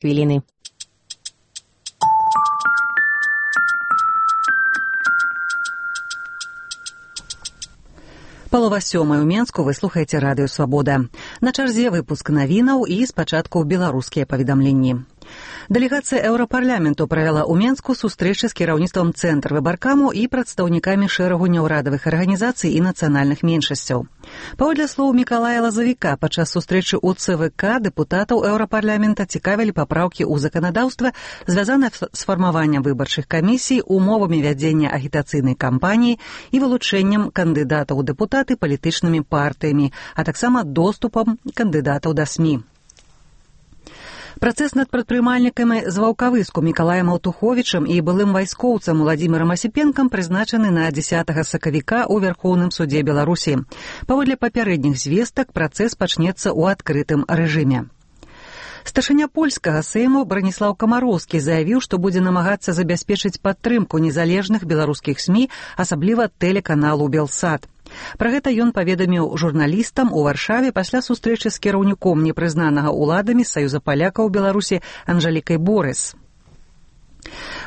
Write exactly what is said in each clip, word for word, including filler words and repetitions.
хвіліны. Палова сёмай у Менску, вы слухаеце радыё «Свабода». На чарзе выпуск навінаў і спачатку беларускія паведамленні. Дэлегацыя Еўрапарламенту правяла ў Менску сустрэчы з кіраўніцтвам Цэнтр выбаркаму і прадстаўнікамі шэрагу няўрадавых арганізацый і нацыянальных меншасцяў. Паводле слоў Мікалая Лазавіка, падчас сустрэчы ў цэ вэ ка дэпутатаў Еўрапарламента цікавілі папраўкі ў заканадаўства, звязанае з фармаваннем выбарчых камісій, умовамі вядзення агітацыйнай кампаніі і вылучэннем кандыдатаў у дэпутаты палітычнымі партыямі, а таксама доступам кандыдатаў да СМІ. Працэс над прадпрымальнікамі з Ваўкавыску Мікалаем Аўтуховічам і былым вайскоўцам Уладзімірам Асіпенкам прызначаны на дзесятага сакавіка ў Вярхоўным судзе Беларусі. Паводле папярэдніх звестак, працэс пачнецца ў адкрытым рэжыме. Старшыня польскага сейму Браніслаў Камароўскі заявіў, што будзе намагацца забяспечыць падтрымку незалежных беларускіх СМІ, асабліва тэлеканалу «Белсат». Пра гэта ён паведаміў журналістам у Варшаве пасля сустрэчы з кіраўніком непрызнанага ўладамі Саюза палякаў Беларусі Анжэлікай Борыс.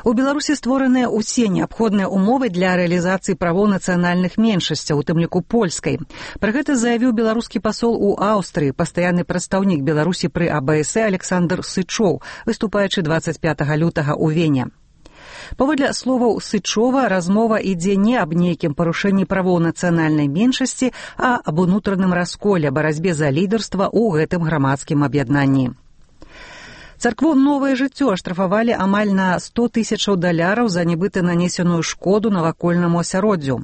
У Беларусі створаныя ўсе неабходныя умовы для рэалізацыі правоў нацыянальных меншасцяў, у тым ліку польскай. Пра гэта заявіў беларускі пасол у Аўстрыі, пастаянны прадстаўнік Беларусі пры а бэ эс э Александр Сычоў, выступаючы дваццаць пятага лютага ў Вене. Паводле словаў Сычова, размова ідзе не аб нейкім парушэнні правоў нацыянальнай меншасці, а аб унутраным расколе, барацьбе за лідарства ў гэтым грамадскім аб'яднанні. Царкву «Новае жыццё» аштрафавалі амаль на сто тысячаў даляраў за нібыта нанесеную шкоду навакольнаму асяроддзю.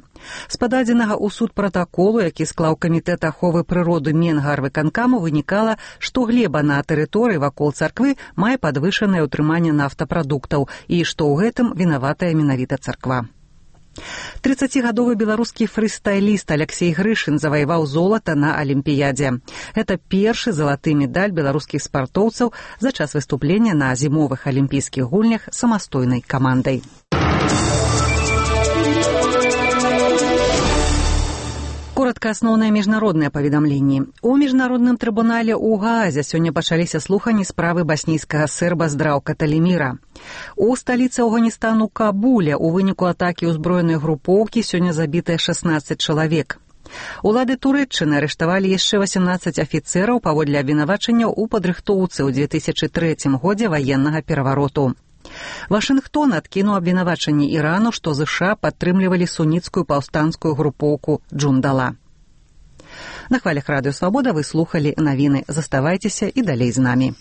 З пададзенага ў суд пратаколу, які склаў камітэт аховы прыроды Менгарвыканкаму, вынікала, што глеба на тэрыторыі вакол царквы мае падвышанае ўтрыманне нафтапрадуктаў і што ў гэтым вінаватая менавіта царква. трыццацігадовы беларускі фрыстайліст Аляксей Грышын заваяваў золата на Алімпіядзе. Гэта першы залаты медаль беларускіх спартоўцаў за час выступлення на зімовых алімпійскіх гульнях самастойнай камандай. Коротка асноўныя міжнародныя паведамленні. У міжнародным трыбунале ў Гаазе сёння пачаліся слуханні справы баснійскага серба Здраўка Таліміра. У сталіцы Афганістану Кабуле у выніку атакі ўзброенай групоўкі сёння забітыя шаснаццаць чалавек. Улады Турэччыны арыштавалі яшчэ васямнаццаць афіцэраў паводле абвінавачанняў у падрыхтоўцы ў дзве тысячы трэцім годзе ваеннага перавароту. Вашынгтон адкінуў абвінавачанні Ірану, што ЗША падтрымлівалі суніцкую паўстанцкую групоўку Джундала. На хвалях радыё «Свабода» вы слухалі навіны. Заставайцеся і далей з намі.